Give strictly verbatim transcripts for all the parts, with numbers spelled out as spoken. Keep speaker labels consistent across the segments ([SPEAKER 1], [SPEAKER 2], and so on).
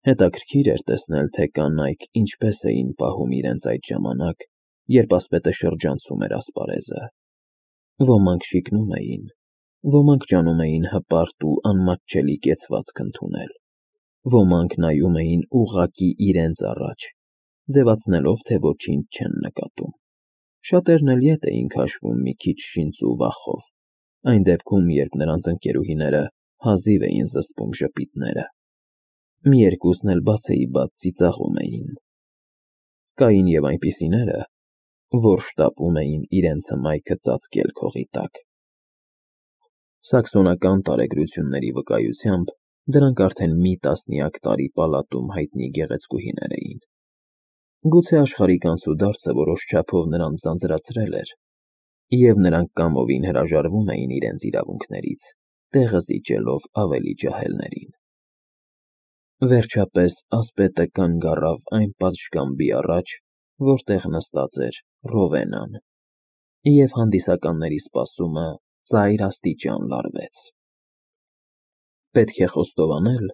[SPEAKER 1] Հետաքրքիր էր տեսնել, թե կանայք ինչպես էին պահում իրենց այդ ժամանակ, երբ ասպետը շրջանցում էր ասպարեզը. ոմանք շիկնում էին, ոմանք ջանում էին հպարտ ու անմատչելի կեցվածք ընդունել, ոմանք նայում էին ուղղակի իրենց առաջ, ձևացնելով, թե ոչինչ չեն նկատում, շատերն էլ ետ էին քաշվում մի քիչ շինծ ու վախով, այն դեպքում, երբ նրանց ընկերուհիները հազիվ էին զսպում ժպիտները, մի երկուսն էլ բացեիբաց ծիծաղում էին. կային և այնպիսիները, որ շտապում էին իրենց հմայքը ծածկել քողի տակ։ Սաքսոնական տարեգրությունների վկայությամբ դրանք արդեն մի տասնյակ տարի պալատում հայտնի գեղեցկուհիներ էին։ Գուցե աշխարհիկ անցուդարձը որոշ չափով նրանց ձանձրացրել էր, և նրանք կամովին հրաժարվում էին իրենց իրավունքներից, տեղը զիջելով ավելի ջահելներին։ Վերջապես ասպետը կանգ առավ այն պատշգամբի առաջ, որտեղ նստած էր Ռովենան, և հանդիսականների սպասումը ծայրաստիճան լարվեց։ Պետք է խոստովանել,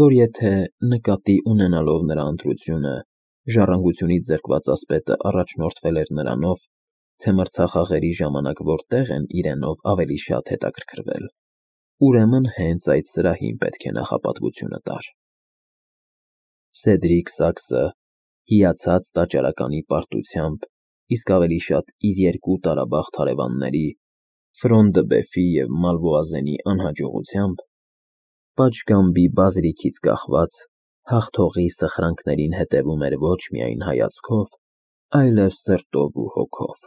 [SPEAKER 1] որ եթե, նկատի ունենալով նրա ընտրությունը, ժառանգությունից զրկված ասպետը առաջնորդվել էր նրանով, թե մրցախաղերի ժամանակ որտեղ են իրենով ավելի շատ հետաքրքրվել, ուրեմն հենց այդ սրահին պետք է նախապատվությունը տար։ Սեդրիկ Սաքսը հիացած տաճարականի պարտությամբ, իսկ ավելի շատ իր երկու տարաբախտ հարևանների՝ Ֆրոն դը Բեֆի և Մալվոազենի անհաջողությամբ, պատշգամբի բազրիքից կախված, հաղթողի սխրանքներին հետևում էր ոչ միայն հայացքով, այլև սրտով ու հոգով։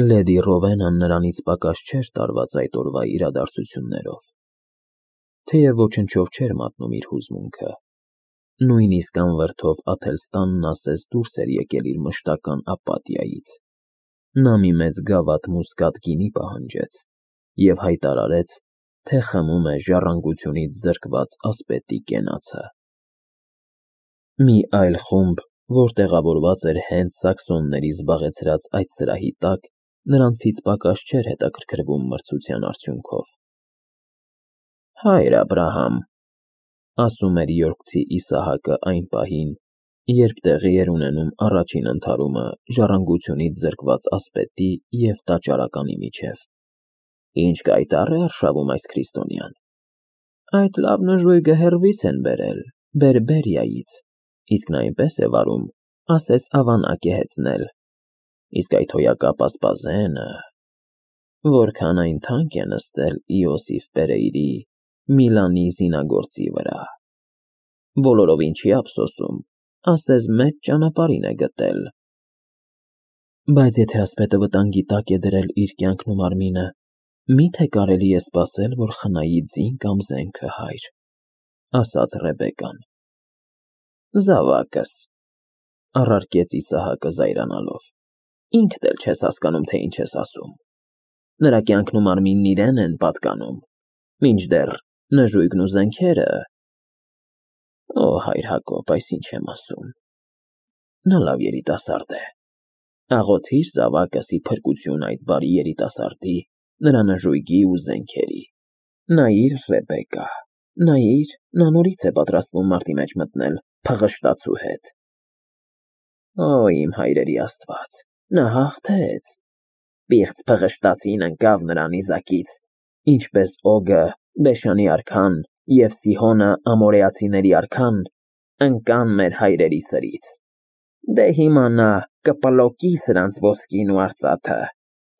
[SPEAKER 1] Լեդի Ռովենան նրանից պակաս չէր տարված այդ օրվա իրադարձություններով, թեև ոչնչով չէր մատնում իր հուզմունքը, նույնիսկ անվրդով Աթելստանն ասես դուրս էր եկել իր մշտական ապաթիայից, նա մի մեծ գավաթ մուսկատ գինի պահանջեց և հայտարարեց, թե խմում է ժառանգությունից զրկված ասպետի կենացը։ Մի այլ խումբ, որ տեղավորված էր հենց սաքսոնների զբաղեցրած այդ սրահի տակ, նրանցից պակաս չէր հետաքրքրվում մրցության արդյունքով։ «Հայր Աբրահամ», ասում էր Յորքցի Իսահակը այն պահին, երբ տեղի էր ունենում առաջին ընդհարումը ժառանգությունից զրկված ասպետի և տաճարականի միջև, «ինչ կայտառ է արշավում այս քրիստոնյան։ Այդ լավ նժույգը հեռվից են բերել, Բերբերիայից, իսկ նա այնպես է վարում, ասես ավանակ է հեծնել, իսկ այդ հոյակապ ասպազենը… Որքան այն թանկ է նստել Իոսիֆ Պերեյրի Միլանի զինագործի վրա… Բոլորովին չի ափսոսում, ասես մեծ ճանապարհին է գտել»։ Բայց եթե ասպետը վտանգի տակ է դրել իր կյանքն ու մարմինը, մի՞թե կարելի է սպասել, որ խնայի ձին կամ զենքը, հայր, ասաց Ռեբեկկան։ Զավակս, առարկեց Իսահակը զայրանալով, ինքդ էլ չես հասկանում, թե ինչ ես ասում։ Նրա կյանքն ու մարմինն իրեն են պատկանում, մինչդեռ նժույգն ու զենքերը… Օ, հայր Հակոբ, այս ինչ եմ ասում… Նա լավ երիտասարդ է, աղոթիր զավակս ի փրկություն այդ բարի երիտասարդի, նրա նժույգի ու զենքերի… Նայիր, Ռեբեկկա, նայիր, նա նորից է պատրաստվում մարտի մեջ մտնել փղշտացու հետ… Օ, իմ հայրերի Աստված, նա հաղթեց… Պիղծ փղշտացին ընկավ նրա նիզակից, ինչպես Օգը, Բեշանի արքան, և Սիհոնը, ամորեացիների արքան, ընկան մեր հայրերի սրից… Դե հիմա նա կպլոկի սրանց ոսկին ու արծաթը,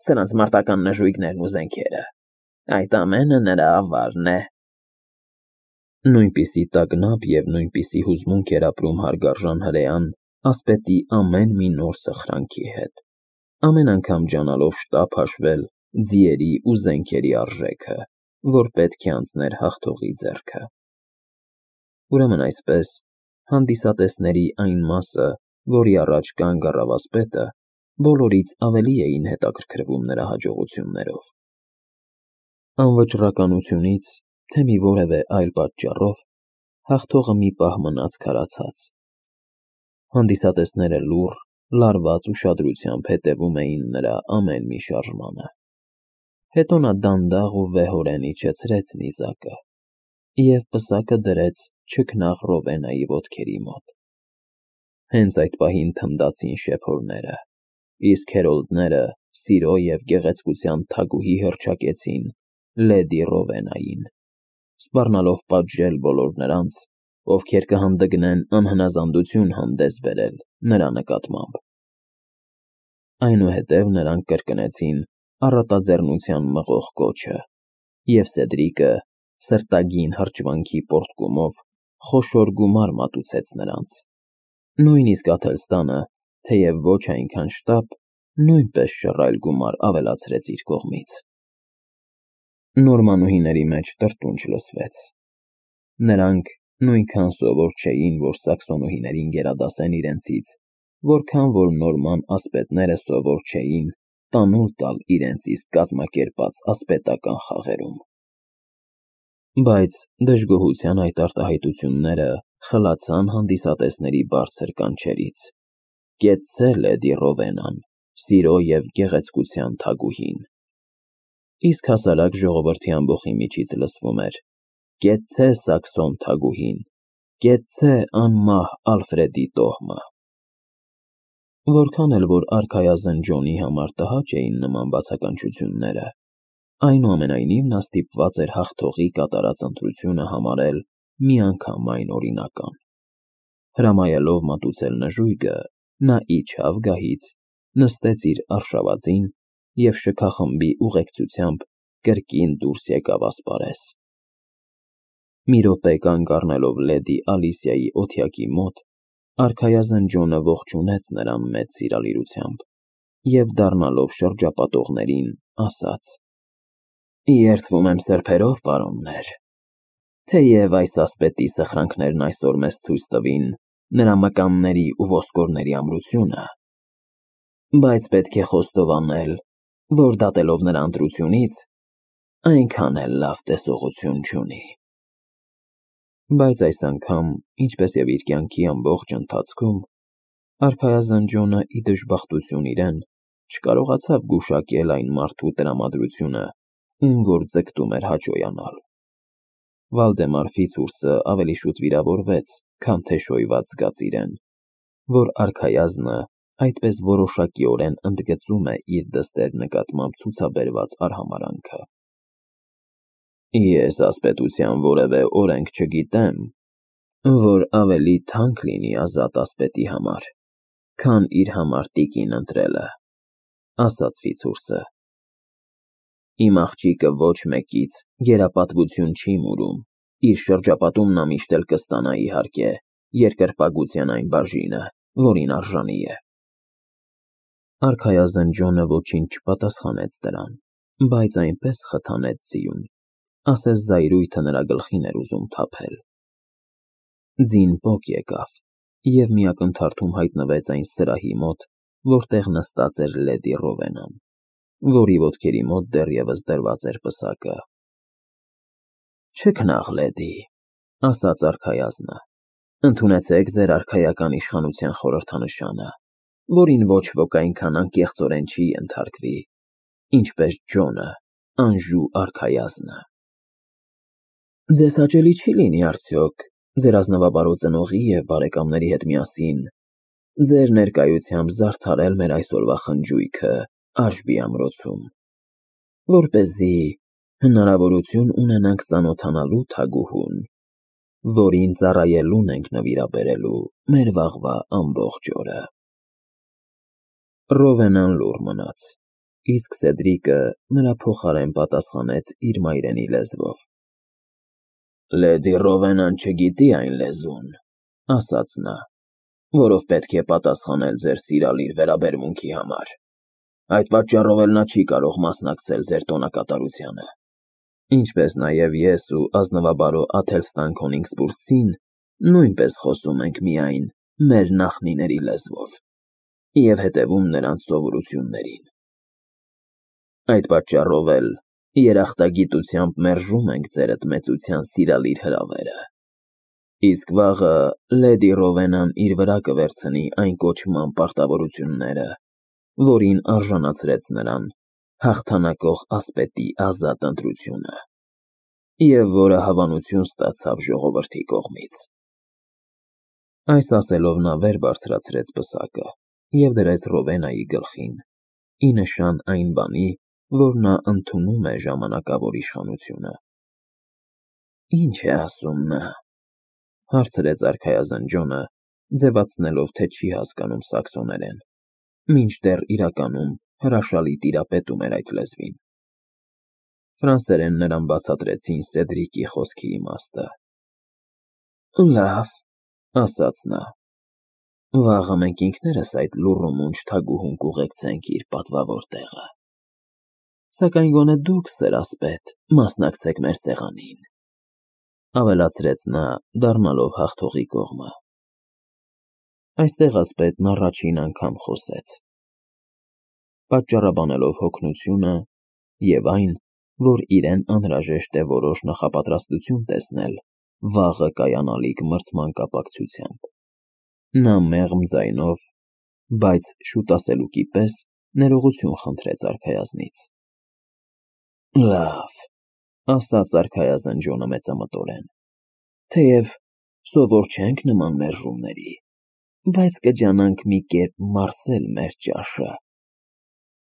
[SPEAKER 1] սրանց մարտական նժույգներն ու զենքերը… Այդ ամենը նրա ավարն է… Նույնպիսի տագնապ և նույնպիսի հուզմունք էր ապրում հարգարժան հրեան ասպետի ամեն մի նոր սխրանքի հետ, ամեն անգամ ջանալով շտապ հաշվել ձիերի ու զենքերի արժեքը, որ պետք է անցներ հաղթողի ձեռքը։ Ուրեմն այսպես, հանդիսատեսների այն մասը, որի առաջ կանգ առավ ասպետը, բոլորից ավելի էին հետաքրքրվում նրա հաջողություններով։ Անվճռականությունից, թե մի որևէ այլ պատճառով, հաղթողը մի պահ մնաց քարացած։ Հանդիսատեսները լուռ, լարված ուշադրությամբ հետևում էին նրա ամեն մի շարժմանը։ Հետո նա դանդաղ ու վեհորեն իջեցրեց նիզակը և պսակը դրեց չքնաղ Ռովենայի ոտքերի մոտ։ Հենց այդ պահին թնդացին շեփորները, իսկ հերոլդները սիրո և գեղեցկության թագուհի հռչակեցին լեդի Ռովենային, սպառնալով պատժել բոլոր նրանց, ովքեր կհանդգնեն անհնազանդություն հանդես բերել նրա նկատմամբ։ Այնուհետև նրանք կրկնեցին առատաձեռնության մղող կոչը, և Սեդրիկը սրտագին հրճվանքի պոռթկումով խոշոր գումար մատուցեց նրանց, նույնիսկ Աթելստանը, թեև ոչ այնքան շտապ, նույնպես շռայլ գումար ավելացրեց իր կողմից։ Նորմանուհիների մեջ տրտունջ լսվեց։ Նրանք նույնքան սովոր չէին, որ սաքսոնուհիներին գերադասեն իրենցից, որքան որ նորման ասպետները սովոր չէին տանուլ տալ իրենց իսկ կազմակերպած ասպետական խաղերում։ Բայց դժգոհության այդ արտահայտությունները խլացան հանդիսատեսների բարձր կանչերից. «Կեցցե լեդի Ռովենան, սիրո և գեղեցկության թագուհին»։ Իսկ հասարակ ժողովրդի ամբոխի միջից լսվում էր. «Կեցցե Սաքսոն թագուհին, կեցցե անմահ Ալֆրեդի տոհմը»։ Որքան էլ որ արքայազն Ջոնի համար տհաճ էին նման բացականչությունները, այնուամենայնիվ նա ստիպված էր հաղթողի կատարած ընտրությունը համարել միանգամայն օրինական։ Հրամայելով մատուցել նժույգը, նա իջավ գահից, նստեց իր արշավածին և շքախմբի ուղեկցությամբ կրկին դուրս եկավ ասպարեզ։ Մի րոպե կանգ առնելով լեդի Ալիսիայի օթյակի մոտ, արքայազն Ջոնը ողջունեց նրան մեծ սիրալիրությամբ և, դառնալով շրջապատողներին, ասաց. «Երդվում եմ սրբերով, պարոններ, թեև այս ասպետի սխրանքներն այսօր մեզ ցույց տվին նրա մկանների ու ոսկորների ամրությունը, բայց պետք է խոստովանել, որ դատելով նրա ընտրությունից, այնքան էլ լավ տեսողություն չունի»։ Բայց այս անգամ, ինչպես և իր կյանքի ամբողջ ընթացքում, արքայազն Ջոնը, ի դժբախտություն իրեն, չկարողացավ գուշակել այն մարդու տրամադրությունը, ում որ ձգտում էր հաճոյանալ։ Վալդեմար Ֆիցուրսը ավելի շուտ վիրավորվեց, քան թե շոյված զգաց իրեն, որ արքայազնը այդպես որոշակիորեն ընդգծում է իր դստեր նկատմամբ ցուցաբերված արհամարհանքը։ «Ես ասպետության որևէ օրենք չգիտեմ, որ ավելի թանկ լինի ազատ ասպետի համար, քան իր համար տիկին ընտրելը», ասաց Ֆիցուրսը։ «Իմ աղջիկը ոչ մեկից գերապատվություն չի մուրում, իր շրջապատում նա միշտ էլ կստանա, իհարկե, երկրպագության այն բաժինը, որին արժանի է»։ Արքայազն Ջոնը ոչինչ չպատասխանեց դրան, բայց այնպես խթանեց ձիուն, ասես զայրույթը նրա գլխին էր ուզում թափել։ Ձին պոկ եկավ, և մի ակնթարթում հայտնվեց այն սրահի մոտ, որտեղ նստած էր լեդի Ռովենան, որի ոտքերի մոտ դեռևս դրված էր պսակը։ «Չքնաղ լեդի», ասաց արքայազնը, «ընդունեցեք ձեր արքայական իշխանության խորհրդանշանը, որին ոչ ոք այնքան անկեղծորեն չի ենթարկվի, ինչպես Ջոնը, Անժու արքայազնը»։ «Ձեզ հաճելի չի՞ լինի արդյոք ձեր ազնվաբարո ծնողի և բարեկամների հետ միասին ձեր ներկայությամբ զարդարել մեր այսօրվա խնջույքը Աշբի ամրոցում, որպեսզի հնարավորություն ունենանք ծանոթանալու թագուհուն, որին ծառայելուն ենք նվիրաբերելու մեր վաղվա ամբողջ օրը»։ Ռովենան լուռ մնաց, իսկ Սեդրիկը նրա փոխարեն պատասխանեց իր մայրենի լեզվով. «Լեդի Ռովենան չգիտի այն լեզուն, — ասաց նա, — որով պետք է պատասխանել ձեր սիրալիր վերաբերմունքի համար, այդ պատճառով էլ նա չի կարող մասնակցել ձեր տոնակատարությանը, ինչպես նաև ես ու ազնվաբարո Աթելստան Քոնիգսբուրգցին նույնպես խոսում ենք միայն մեր նախնիների լեզվով և հետևում նրանց սովորություններին։ Այդ պատճառով էլ երախտագիտությամբ մերժում ենք ձերդ մեծության սիրալիր հրավերը, իսկ վաղը լեդի Ռովենան իր վրա կվերցնի այն կոչման պարտավորությունները, որին արժանացրեց նրան հաղթանակող ասպետի ազատ ընտրությունը։ և որը հավանություն ստացավ ժողովրդի կողմից։ Այս ասելով նա վեր բարձրացրեց պսակը և դրեց Ռովենայի գլխին, ի նշան այն բանի, որ նա ընդունում է ժամանակավոր իշխանությունը։ Ի՞նչ է ասում նա, հարցրեց արքայազն Ջոնը, ձևացնելով, թե չի հասկանում սաքսոներեն, մինչդեռ իրականում հրաշալի տիրապետում էր այդ լեզվին։ Ֆրանսերեն նրան բացատրեցին Սեդրիկի խոսքի իմաստը։ Լավ, ասաց նա, վաղը մենք ինքներս այդ լուռ ու մունջ թագուհուն կուղեկցենք իր պատվավոր տեղը։ Սակայն գոնե դուք, սերասպետ, մասնակցեք մեր սեղանին, ավելացրեց նա, դառնալով հաղթողի կողմը։ Այստեղ ասպետն առաջին անգամ խոսեց, պատճառաբանելով հոգնությունը և այն, որ իրեն անհրաժեշտ է որոշ նախապատրաստություն տեսնել վաղը կայանալիք մրցման կապակցությամբ։ Նա մեղմ ձայնով, բայց շուտասելուկի պես ներողություն խնդրեց արքայազնից։ Լավ, ասաց արքայազն Ջոնը մեծամտորեն, թեև սովոր չենք նման մերժումների, բայց կջանանք մի կերպ մարսել մեր ճաշը,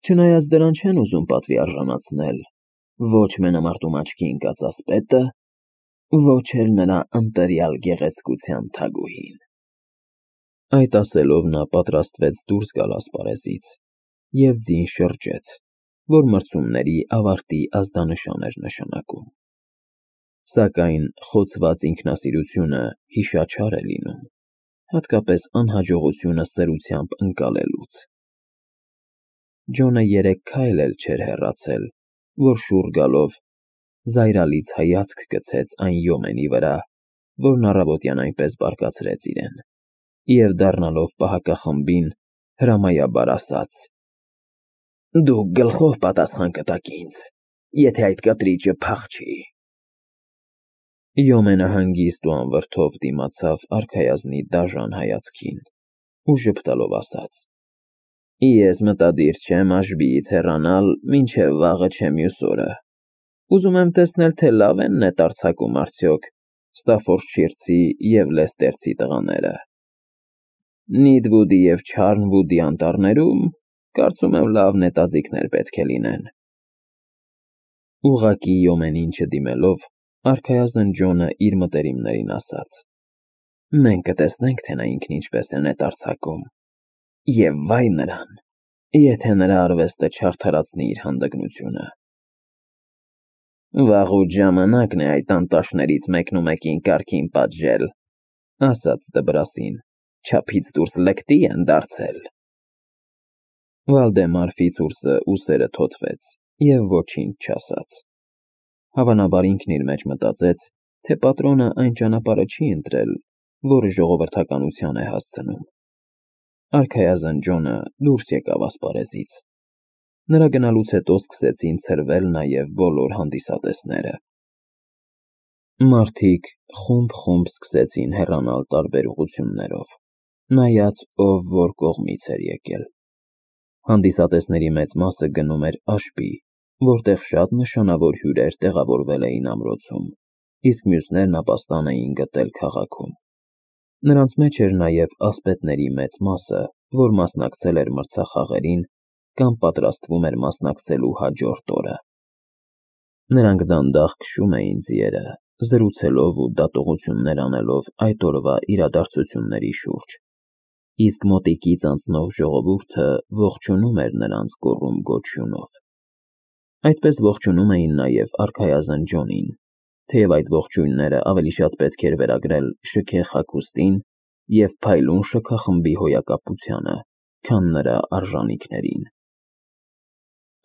[SPEAKER 1] չնայած դրան չեն ուզում պատվի արժանացնել ոչ մենամարտում աչքի ընկած ասպետը, ոչ էլ նրա ընտելյալ գեղեցկության թագուհին։ Այդ ասելով նա պատրաստվեց դուրս գալ ասպարեզից և ձին շրջեց, որ մրցումների ավարտի ազդանշան էր նշանակում։ Սակայն խոցված ինքնասիրությունը հիշաչար է լինում, հատկապես անհաջողությունը սրությամբ ընկալելուց։ Ջոնը երեք քայլ էլ չէր հեռացել, որ շուռ գալով զայրալից հայացք գցեց այն յոմենի վրա, որն առավոտյան այնպես բարկացրեց իրեն, և դառնալով պահակախմբին հրամայաբար ասաց. Դուք գլխով պատասխան կտաք ինձ, եթե այդ կտրիճը փախչի։ Յոմենը հանգիստ ու անվրդով դիմացավ արքայազնի դաժան հայացքին ու ժպտալով ասաց. Ես մտադիր չեմ Աշբիից հեռանալ, մինչև վաղը չէ մյուս օրը։ Ուզում եմ տեսնել, թե լավ են նետ արձակում արդյոք Ստաֆորդշիրցի և Լեսթերցի տղաները։ Նիդվուդի և Չարնվուդի անտառներում, կարծում եմ, լավ նետաձիգներ պետք է լինեն։ Ուղղակի յոմենին չդիմելով, արքայազն Ջոնը իր մտերիմներին ասաց. Մենք կտեսնենք, թե նա ինքն ինչպես է նետ արձակում, և վայ նրան, եթե նրա արվեստը չարդարացնի իր հանդգնությունը։ Վաղուց ժամանակն է այդ անտաշներից մեկնումեկին կարգին պատժել, ասաց դբրասին, չափից դուրս լկտի են դարձել։ Վալդեմար Ֆիցուրսը ուսերը թոթվեց և ոչինչ չասաց։ Հավանաբար ինքն իր մեջ մտածեց, թե պատրոնը այն ճանապարհը չի ընտրել, որը ժողովրդականության է հասցնում։ Արքայազն Ջոնը դուրս եկավ ասպարեզից։ Նրա գնալուց հետո սկսեցին ցրվել նաև բոլոր հանդիսատեսները։ Մարդիկ խումբ-խումբ սկսեցին հեռանալ տարբեր ուղղություններով, նայած ով որ կողմից էր եկել։ Հանդիսատեսների մեծ մասը գնում էր Աշբի, որտեղ շատ նշանավոր հյուրեր տեղավորվել էին ամրոցում, իսկ մյուսներն ապաստան էին գտել քաղաքում։ Նրանց մեջ էր նաև ասպետների մեծ մասը, որ մասնակցել էր մրցախաղերին կամ պատրաստվում էր մասնակցելու հաջորդ օրը։ Նրանք դանդաղ քշում էին ձիերը, զրուցելով ու դատողություններ անելով այդ օրվա իրադարձությունների շուրջ, իսկ մոտիկից անցնող ժողովուրդը ողջունում էր նրանց գոռում գոչյունով։ Այդպես ողջունում էին նաև արքայազն Ջոնին, թեև այդ ողջույնները ավելի շատ պետք էր վերագրել շքեղ հագուստին և փայլուն շքախմբի հոյակապությանը, քան նրա արժանիքներին։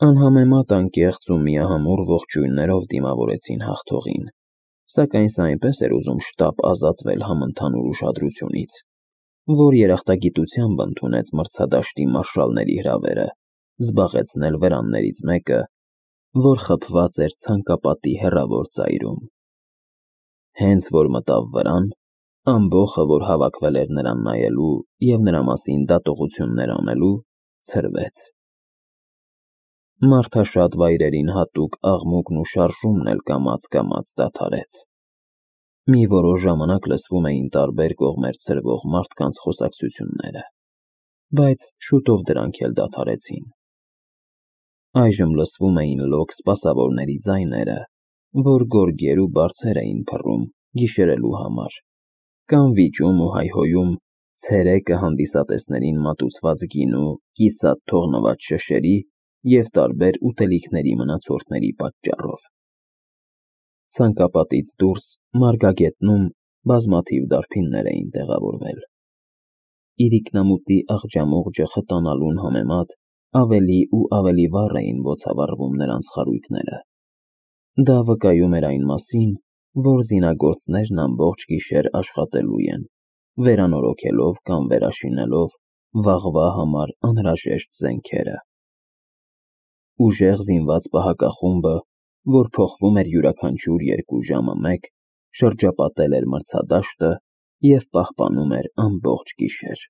[SPEAKER 1] Անհամեմատ անկեղծ ու միահամուռ ողջույններով դիմավորեցին հաղթողին, սակայն սա այնպես էր ուզում շտապ ազատվել համընդհանուր ուշադրությունից, որ երախտագիտությամբ ընդունեց մրցադաշտի մարշալների հրավերը զբաղեցնել վրաններից մեկը, որ խփված էր ցանկապատի հեռավոր ծայրում։ Հենց որ մտավ վրան, ամբոխը, որ հավաքվել էր նրան նայելու և նրա մասին դատողություններ անելու, ցրվեց։ Մարդաշատ վայրերին հատուկ աղմուկն ու շարժումն էլ կամաց-կամաց դադարեց։ Մի որոշ ժամանակ լսվում էին տարբեր կողմեր ցրվող մարդկանց խոսակցությունները, բայց շուտով դրանք էլ դադարեցին։ Այժմ լսվում էին լոկ սպասավորների ձայները, որ գորգեր ու բարձեր էին փռում գիշերելու համար, կամ վիճում ու հայհոյում ցերեկը հանդիսատեսներին մատուցված գինու կիսատ թողնված շշերի և տարբեր ուտելիքների մնացորդների պատճառով։ Ցանկապատից դուրս մարգագետնում բազմաթիվ դարբիններ էին տեղավորվել։ Իրիկնամուտի աղջամուղջը խտանալուն համեմատ ավելի ու ավելի վառ էին բոցավառվում նրանց խարույկները։ Դա վկայում էր այն մասին, որ զինագործներն ամբողջ գիշեր աշխատելու են, վերանորոգելով կամ վերաշինելով վաղվա համար անհրաժեշտ զենքերը։ Ուժեղ զինված պահակախումբը, որ փոխվում էր յուրաքանչյուր երկու ժամը մեկ, շրջապատել էր մրցադաշտը և պահպանում էր ամբողջ գիշեր։